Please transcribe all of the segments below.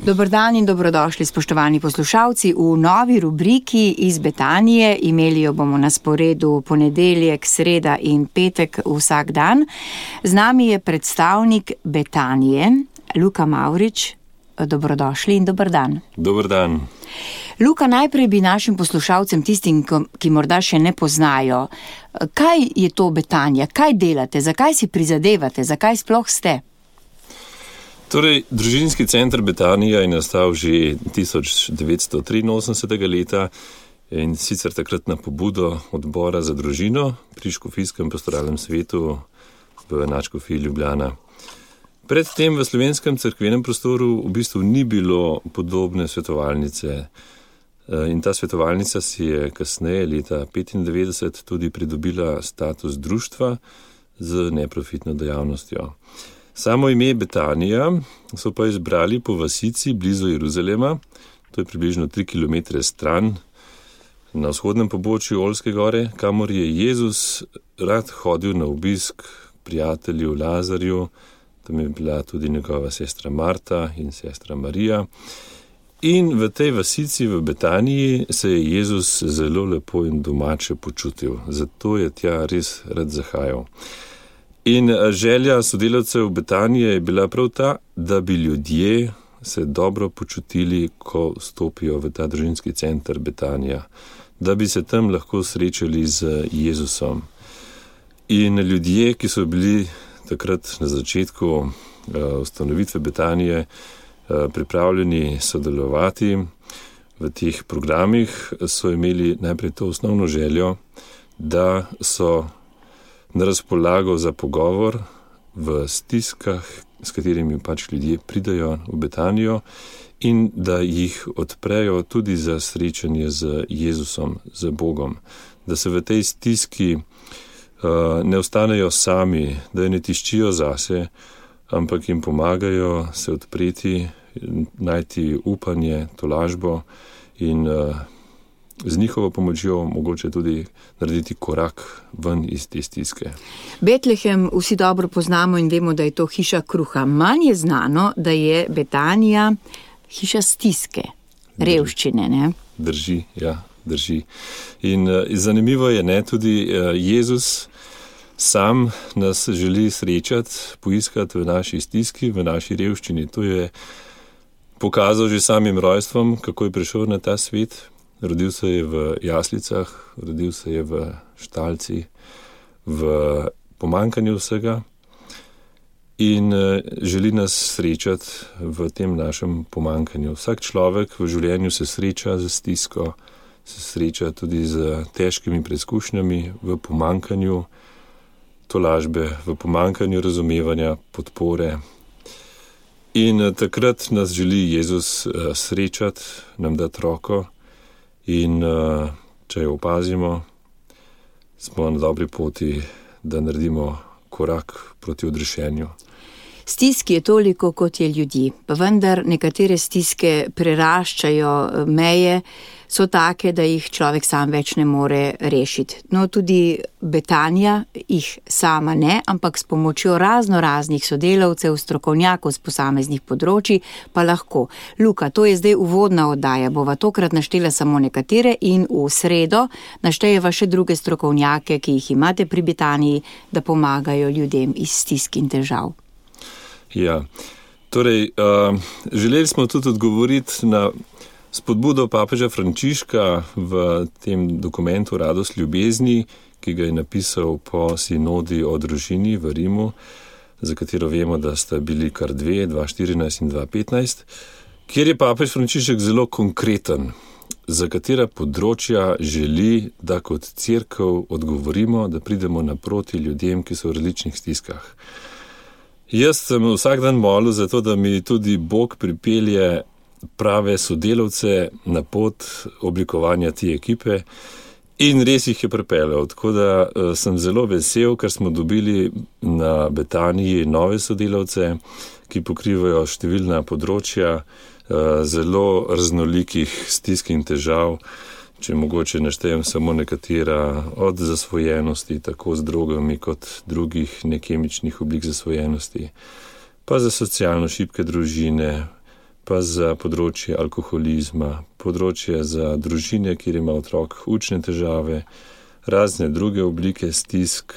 Dober dan in dobrodošli, spoštovani poslušalci, v novi rubriki iz Betanije. Imeli jo bomo na sporedu ponedeljek, sreda in petek vsak dan. Z nami je predstavnik Betanije, Luka Mavrič. Dobrodošli in dober dan. Dober dan. Luka, najprej bi našim poslušalcem, tistim, ki morda še ne poznajo, kaj je to Betanija, kaj delate, zakaj si prizadevate, zakaj sploh ste? Torej, družinski center Betanija je nastal že 1983. leta in sicer takrat na pobudo odbora za družino pri Škofijskem pastoralnem svetu v Nadškofiji Ljubljana. Predtem v slovenskem cerkvenem prostoru v bistvu ni bilo podobne svetovalnice in ta svetovalnica si je kasneje leta 1995 tudi pridobila status društva z neprofitno dejavnostjo. Samo ime Betanija so pa izbrali po vasici blizu Jeruzalema, to je približno 3 km stran na vzhodnem pobočju Olske gore, kamor je Jezus rad hodil na obisk prijatelju Lazarju, tam je bila tudi njegova sestra Marta in sestra Marija. In v tej vasici v Betaniji se je Jezus zelo lepo in domače počutil, zato je tja res rad zahajal. In želja sodelavcev Betanije je bila prav ta, da bi ljudje se dobro počutili, ko stopijo v ta družinski center Betanija, da bi se tam lahko srečali z Jezusom. In ljudje, ki so bili takrat na začetku ustanovitve Betanije pripravljeni sodelovati v teh programih, so imeli najprej to osnovno željo, da so na razpolago za pogovor v stiskah, s katerimi pač ljudje pridajo v Betanijo in da jih odprejo tudi za srečanje z Jezusom, z Bogom, da se v tej stiski ne ostanejo sami, da je ne tiščijo zase, ampak jim pomagajo se odpreti, najti upanje, tolažbo in z njihovo pomočjo mogoče tudi narediti korak ven iz te stiske. Betlehem vsi dobro poznamo in vemo, da je to hiša kruha. Manj je znano, da je Betanija hiša stiske, revščine, ne? Drži, ja, drži. In zanimivo je, ne, tudi Jezus sam nas želi srečati, poiskati v naši stiski, v naši revščini. To je pokazal že samim rojstvom, kako je prišel na ta svet. Rodil se je v jaslicah, rodil se je v štalci, v pomanjkanju vsega in želi nas srečati v tem našem pomanjkanju. Vsak človek v življenju se sreča z stisko, se sreča tudi z težkimi preizkušnjami, v pomanjkanju tolažbe, v pomanjkanju razumevanja, podpore. In takrat nas želi Jezus srečati, nam dati roko in če jo opazimo, smo na dobri poti, da naredimo korak proti odrešenju. Stiski je toliko, kot je ljudi, pa vendar nekatere stiske preraščajo meje, so take, da jih človek sam več ne more rešiti. No, tudi Betanija jih sama ne, ampak s pomočjo raznih sodelavcev, strokovnjakov z posameznih področij pa lahko. Luka, to je zdaj uvodna oddaja, bova tokrat naštela samo nekatere in v sredo naštejeva še druge strokovnjake, ki jih imate pri Betaniji, da pomagajo ljudem iz stisk in težav. Ja, torej, želeli smo tudi odgovoriti na spodbudo papeža Frančiška v tem dokumentu Radost ljubezni, ki ga je napisal po sinodi o družini v Rimu, za katero vemo, da sta bili kar 2014 in 2015, kjer je papež Frančišek zelo konkreten, za katera področja želi, da kot cerkev odgovorimo, da pridemo naproti ljudem, ki so v različnih stiskah. Jaz sem vsak dan molil za to, da mi tudi Bog pripelje prave sodelavce na pot oblikovanja te ekipe in res jih je pripeljal. Tako da sem zelo vesel, ker smo dobili na Betaniji nove sodelavce, ki pokrivajo številna področja zelo raznolikih stisk in težav. Če mogoče naštejem samo nekatera, od zasvojenosti, tako z drogami kot drugih nekemičnih oblik zasvojenosti, pa za socialno šibke družine, pa za področje alkoholizma, področje za družine, kjer ima otrok učne težave, razne druge oblike stisk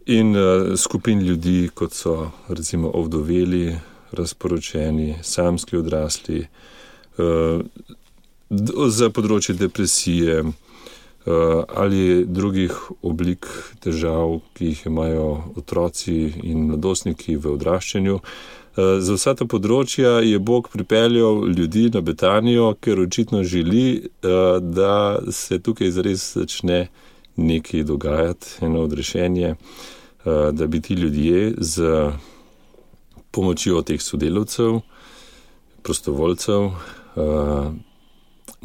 in skupin ljudi, kot so recimo ovdoveli, razporočeni, samski odrasli, za področje depresije ali drugih oblik težav, ki jih imajo otroci in mladostniki v odraščanju. Za vsa ta področja je Bog pripeljal ljudi na Betanijo, ker očitno želi, da se tukaj zares začne nekaj dogajati, eno odrešenje, da bi ti ljudje z pomočjo teh sodelavcev, prostovoljcev,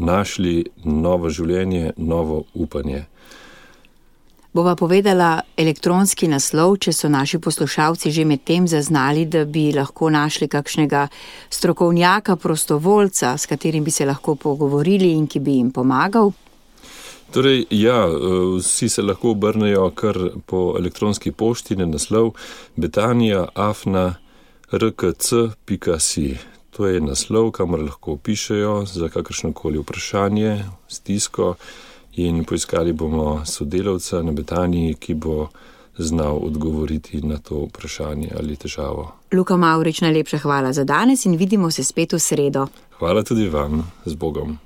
našli novo življenje, novo upanje. Bova povedala elektronski naslov, če so naši poslušalci že med tem zaznali, da bi lahko našli kakšnega strokovnjaka, prostovoljca, s katerim bi se lahko pogovorili in ki bi jim pomagal. Torej, ja, vsi se lahko obrnejo kar po elektronski pošti na naslov betania@rkc.si. To je naslov, kamor lahko pišejo za kakršnokoli vprašanje, stisko, in poiskali bomo sodelavca na Betaniji, ki bo znal odgovoriti na to vprašanje ali težavo. Luka Mavrič, najlepša hvala za danes in vidimo se spet v sredo. Hvala tudi vam, z Bogom.